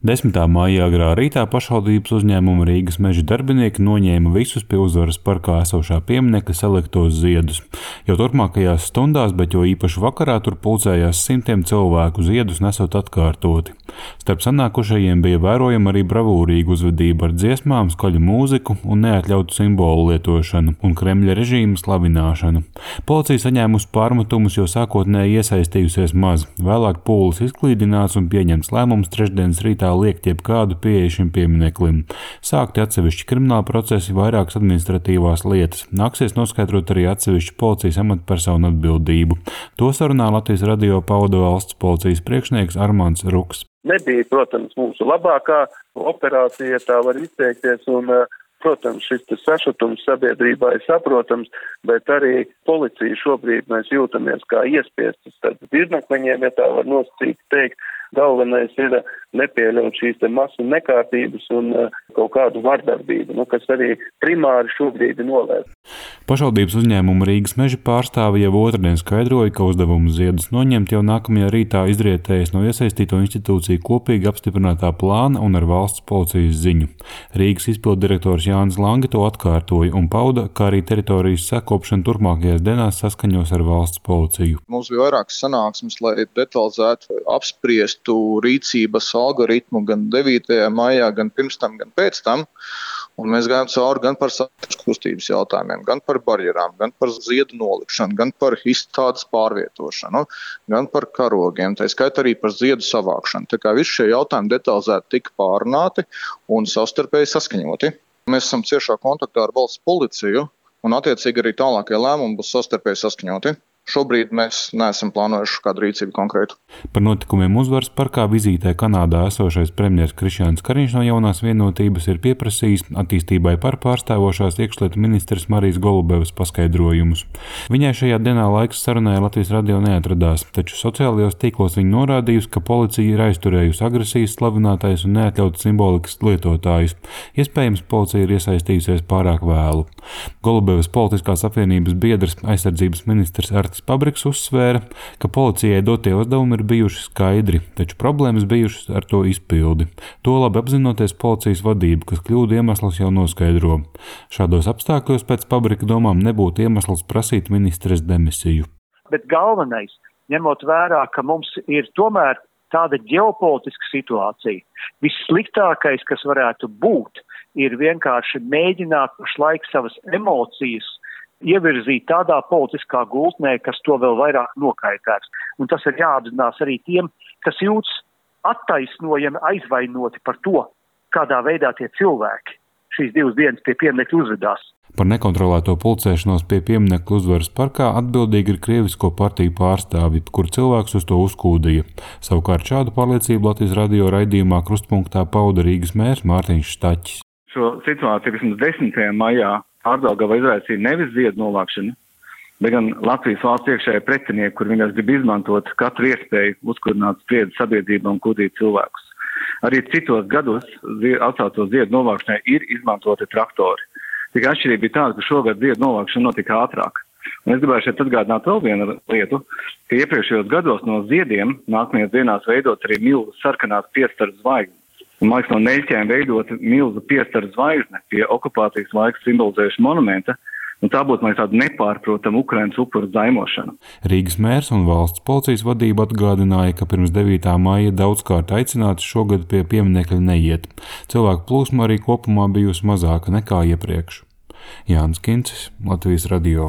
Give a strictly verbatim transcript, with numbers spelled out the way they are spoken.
desmitā maijā agrā rītā pašvaldības uzņēmuma Rīgas meža darbinieki noņēma visus pie Uzvaras parkā esošā pieminekļa saliktos ziedus. Jau turpmākajās stundās, bet jo īpaši vakarā, tur pulcējās simtiem cilvēku ziedus nesot atkārtoti. Starp sanākušajiem bija vērojama arī bravūrīga uzvedība ar dziesmām, skaļu mūziku un neatļautu simbolu lietošanu un Kremļa režīma slavināšanu. Policija saņēmusi pārmetumus, jo sākotnēji iesaistījusies maz. Vēlāk pūlis izklīdināts un pieņemts lēmums trešdienas rītā liekt jebkādu pieeju šim piemineklim. Sākti atsevišķi krimināla procesi, vairākas administratīvās lietas. Nāksies noskaidrot arī atsevišķu policijas amatpersonu atbildību. To sarunā Latvijas radio pauda valsts policijas priekšnieks Armands Ruks. Nebija, protams, mūsu labākā operācija, tā var izteikties, un, protams, šis sašutums sabiedrībā ir saprotams, bet arī policija šobrīd mēs jūtamies kā iespiestas starp dzirnakmeņiem, ja tā var nosacīt teikt. Galvenais ir nepieļaut šīs te masu nekārtības un uh, kaut kādu vardarbību, nu, kas arī primāri šobrīd ir novērsta. Pašvaldības uzņēmuma Rīgas meža pārstāve jau otrdien skaidroja, ka uzdevumu ziedus noņemt jau nākamajā rītā izrietējas no iesaistīto institūciju kopīgi apstiprinātā plāna un ar valsts policijas ziņu. Rīgas izpilddirektors Jānis Lange to atkārtoja un pauda, ka arī teritorijas sakopšana turpmākajās dienās saskaņos ar valsts policiju. Mums bija vairākas sanāksmes, lai detalizētu apspriest rīcības algoritmu gan devītajā maijā, gan pirms tam, gan pēc tam. Un mēs gājām cauri gan par satiksmes kustības jautājumiem, gan par barjerām, gan par ziedu nolikšanu, gan par izstādes pārvietošanu, gan par karogiem, tā skaitā arī par ziedu savākšanu. Tā kā visi šie jautājumi detalizēti tika pārunāti un savstarpēji saskaņoti. Mēs esam ciešā kontaktā ar valsts policiju un attiecīgi arī tālākie lēmumi būs savstarpēji saskaņoti. Šobrīd mēs neesam plānojuši kādu rīcību konkrētu. Par notikumiem Uzvaras parkā vizītē Kanādā esošais premjers Krišjāns Kariņš no Jaunās vienotības ir pieprasījis attīstībai par pārstāvošās iekšlietu ministres Marijas Golubevas paskaidrojumus. Viņai šajā dienā laiks sarunai Latvijas radio neatradās, taču sociālajos tīklos viņa norādījusi, ka policija ir aizturējusi agresijas slavinātājus un neatļautu simbolikas lietotājus. Iespējams, policija ir iesaistījusies pārāk vēlu. Golubevas politiskās apvienības biedrs aizsardzības ministrs Artis Pabriks uzsvēra, ka policijai dotie uzdevumi ir bijuši skaidri, taču problēmas bijušas ar to izpildi. To labi apzinoties policijas vadību, kas kļūdu iemeslus jau noskaidro. Šādos apstākļos pēc Pabrika domām nebūtu iemesls prasīt ministres demisiju. Bet galvenais, ņemot vērā, ka mums ir tomēr tāda ģeopolitiska situācija, vissliktākais, kas varētu būt, ir vienkārši mēģināt pašlaik savas emocijas ievirzīt tādā politiskā gultnē, kas to vēl vairāk nokaitēs. Un tas ir jāapzinās arī tiem, kas jūtas attaisnojami aizvainoti par to, kādā veidā tie cilvēki šīs divas dienas pie pieminekļa uzvedās. Par nekontrolēto pulcēšanos pie pieminekļa Uzvaras parkā atbildīgi ir krievisko partiju pārstāvji, kur cilvēks uz to uzkūdīja. Savukārt šādu pārliecību Latvijas radio raidījumā Krustpunktā pauda Rīgas mērs Mārtiņš Štaķis. Šo situāciju, kas mums desmitajā maijā Ārdaugavā izraisīja nevis ziedu novākšanu, bet gan Latvijas valsts iekšējie pretinieki, kur viņas grib izmantot katru iespēju uzkurināt spriedzi sabiedrībā un kūdīt cilvēkus. Arī citos gados atsākto ziedu novākšanai ir izmantoti traktori. Tikai atšķirība bija tāda, ka šogad ziedu novākšana notika ātrāk. Un es gribēju šeit atgādināt vēl vienu lietu, ka iepriekšējos gados no ziediem nākamajās dienās veidot arī milzu sarkanās piestaru zvaigznes. Un, man liekas, no neļķēm veidot milzu piestaru zvaigzne pie okupācijas laika simbolizējuša monumenta, un tā būtu, man liekas, tāda nepārprotama Ukrainas upuru zaimošana. Rīgas mērs un valsts policijas vadība atgādināja, ka pirms devītā maija daudzkārt aicināts šogad pie pieminekļa neiet. Cilvēku plūsma arī kopumā bijusi mazāka nekā iepriekš. Jānis Kincis, Latvijas radio.